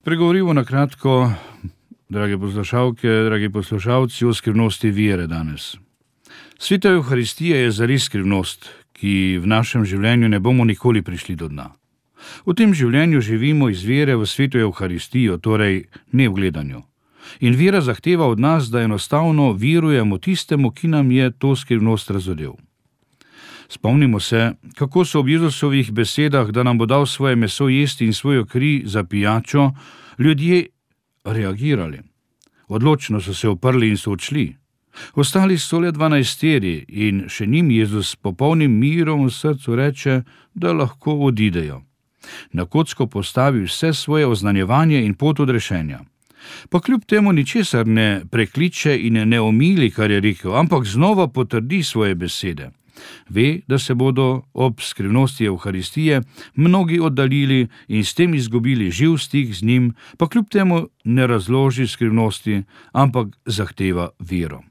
Pregovorimo na kratko, drage poslušalke, dragi poslušalci, o skrivnosti vere danes. Sveta Evharistija je zares skrivnost, ki v našem življenju ne bomo nikoli prišli do dna. V tem življenju živimo iz vere v Sveto Evharistijo, torej ne v gledanju. In vera zahteva od nas, da enostavno verujemo tistemu, ki nam je to skrivnost razodel. Spomnimo se, kako so ob Jezusovih besedah, da nam bo dal svoje meso jesti in svojo kri za pijačo, ljudje reagirali. Odločno so se oprli in so odšli. Ostali so le 12 in še njim Jezus s popolnim mirom v srcu reče, da lahko odidejo. Na kocko postavi vse svoje oznanjevanje in pot odrešenja. Pa kljub temu ničesar ne prekliče in ne omili, kar je rekel, ampak znova potrdi svoje besede. Ve, da se bodo ob skrivnosti Evharistije mnogi oddaljili in s tem izgubili živ stik z njim, pa kljub temu ne razloži skrivnosti, ampak zahteva vero.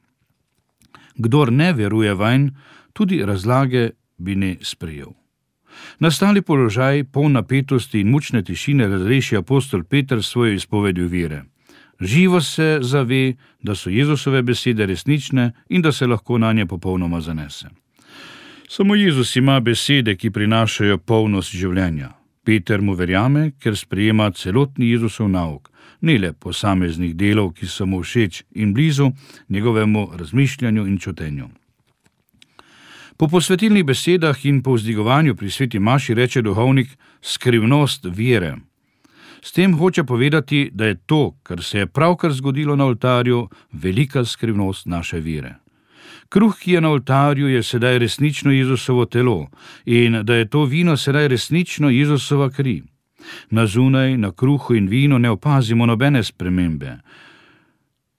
Kdor ne veruje vanj, tudi razlage bi ne sprejel. Nastali položaj, poln napetosti in mučne tišine, razreši apostol Peter svojo izpovedjo vere. Živo se zave, da so Jezusove besede resnične in da se lahko na nje popolnoma zanese. Samo Jezus ima besede, ki prinašajo polnost življenja. Peter mu verjame, ker sprejema celotni Jezusov nauk, ne le posameznih delov, ki so mu všeč in blizu njegovemu razmišljanju in čutenju. Po posvetilnih besedah in po vzdigovanju pri sveti maši reče duhovnik skrivnost vere. S tem hoče povedati, da je to, kar se je pravkar zgodilo na oltarju, velika skrivnost naše vere. Kruh, ki je na oltarju, je sedaj resnično Jezusovo telo in da je to vino sedaj resnično Jezusova kri. Na zunaj, na kruhu in vinu ne opazimo nobene spremembe.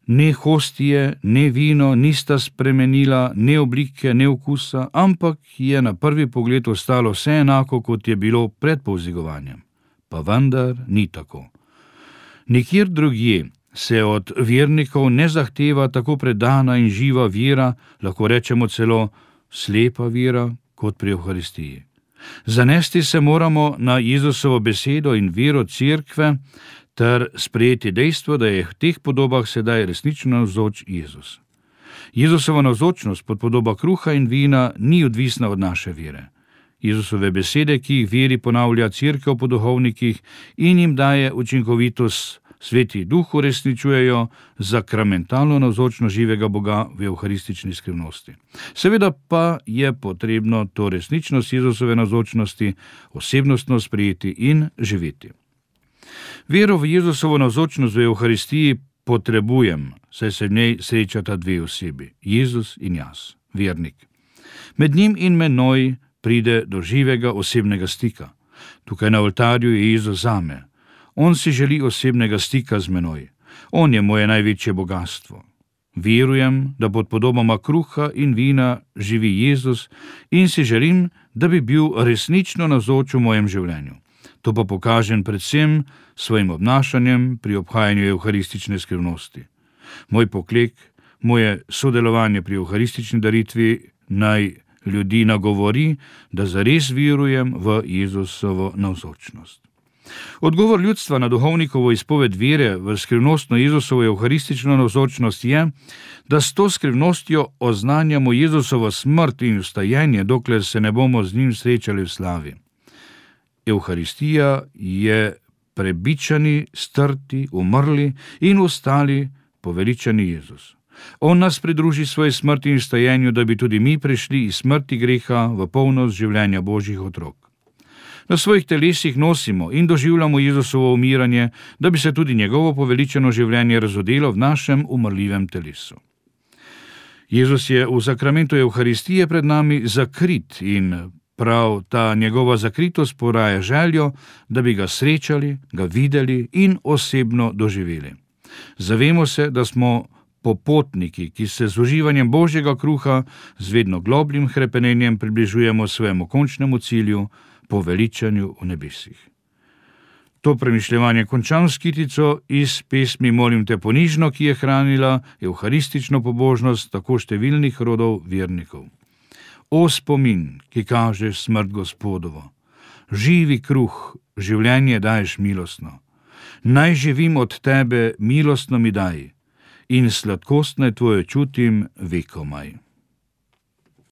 Ne hostije, ne vino nista spremenila, ne oblike, ne okusa, ampak je na prvi pogled ostalo vse enako, kot je bilo pred povzdigovanjem. Pa vendar ni tako. Nikjer drugje se od vernikov ne zahteva tako predana in živa vera, lahko rečemo celo slepa vera, kot pri Evharistiji. Zanesti se moramo na Jezusovo besedo in vero cerkve, ter sprejeti dejstvo, da je v teh podobah sedaj resnično navzoč Jezus. Jezusova navzočnost pod podoba kruha in vina ni odvisna od naše vere. Jezusove besede, ki jih veri ponavlja cerkev po duhovnikih in jim daje učinkovitost, Sveti Duh uresničujejo zakramentalno navzočnost živega Boga v evharistični skrivnosti. Seveda pa je potrebno to resničnost Jezusove navzočnosti osebnostno sprejeti in živeti. Vero v Jezusovo navzočnost v Evharistiji potrebujem, saj se v njej srečata dve osebi, Jezus in jaz, vernik. Med njim in menoj pride do živega osebnega stika. Tukaj na oltarju je Jezus zame. On si želi osebnega stika z menoj. On je moje največje bogatstvo. Verujem, da pod podobama kruha in vina živi Jezus in si želim, da bi bil resnično navzoč v mojem življenju. To pa pokažem predvsem svojim obnašanjem pri obhajanju evharistične skrivnosti. Moj poklek, moje sodelovanje pri evharistični daritvi naj ljudi nagovori, da zares verujem v Jezusovo navzočnost. Odgovor ljudstva na duhovnikovo izpoved vere v skrivnostno Jezusovo evharistično navzočnost je, da s to skrivnostjo oznanjamo Jezusovo smrt in vstajenje, dokler se ne bomo z njim srečali v slavi. Evharistija je prebičani, strti, umrli in ostali poveličani Jezus. On nas pridruži svoji smrti in vstajenju, da bi tudi mi prišli iz smrti greha v polnost življenja Božjih otrok. Na svojih telesih nosimo in doživljamo Jezusovo umiranje, da bi se tudi njegovo poveličeno življenje razodelo v našem umrljivem telesu. Jezus je v sakramentu Evharistije pred nami zakrit in prav ta njegova zakritost poraja željo, da bi ga srečali, ga videli in osebno doživeli. Zavemo se, da smo popotniki, ki se z uživanjem Božjega kruha z vedno globljim hrepenenjem približujemo svojemu končnemu cilju, poveličanju v nebesih. To premišljevanje končam s kitico iz pesmi Molim te ponižno, ki je hranila evharistično pobožnost tako številnih rodov vernikov. O spomin, ki kažeš smrt Gospodovo, živi kruh, življenje daješ milostno. Naj živim od tebe, milostno mi daj, in sladkostne tvoje čutim vekomaj.